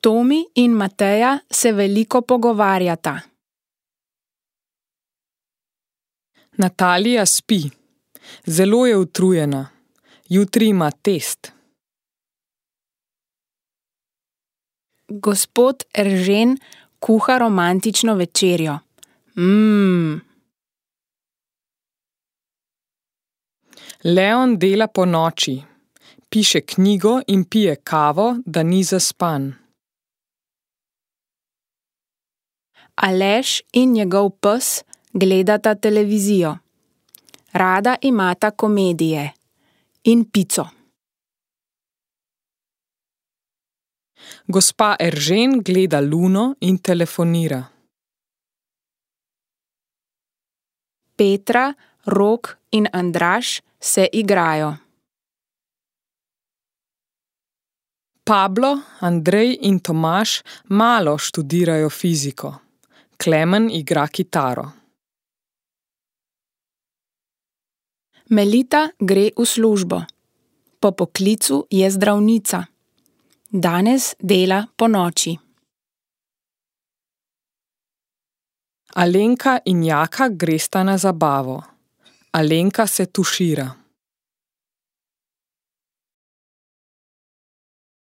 Tomi in Mateja se veliko pogovarjata. Natalija spi. Zelo je utrujena. Jutri ima test. Gospod Eržen kuha romantično večerjo. Leon dela ponoči. Piše knjigo in pije kavo, da ni zaspan. Aleš in njegov pes gledata televizijo. Rada imata komedije in pico. Gospa Eržen gleda luno in telefonira. Petra, Rok in Andraž se igrajo. Pablo, Andrej in Tomaž malo študirajo fiziko. Klemen igra kitaro. Melita gre v službo. Po poklicu je zdravnica. Danes dela ponoči. Alenka in Jaka gresta na zabavo. Alenka se tušira.